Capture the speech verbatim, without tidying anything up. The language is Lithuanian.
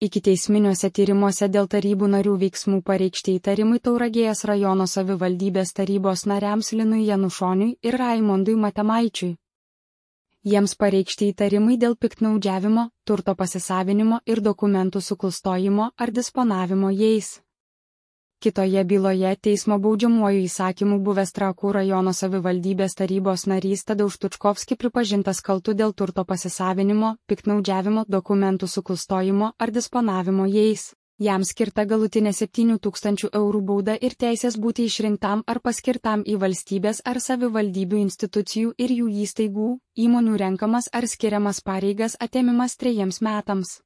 Ikiteisminiuose tyrimuose dėl tarybų narių veiksmų pareikšti įtarimai Tauragės rajono savivaldybės tarybos nariams Linui Janušoniui ir Raimondui Matemaičiui. Jiems pareikšti įtarimai dėl piktnaudžiavimo, turto pasisavinimo ir dokumentų suklastojimo ar disponavimo jais. Kitoje byloje teismo baudžiamuoju įsakymu buvęs Trakų rajono savivaldybės tarybos narys Tadeuš Tučkovski pripažintas kaltu dėl turto pasisavinimo, piktnaudžiavimo, dokumentų suklastojimo ar disponavimo jais. Jam skirta galutinė septynių tūkstančių eurų bauda ir teisės būti išrinktam ar paskirtam į valstybės ar savivaldybių institucijų ir jų įstaigų, įmonių renkamas ar skiriamas pareigas atėmimas trejiems metams.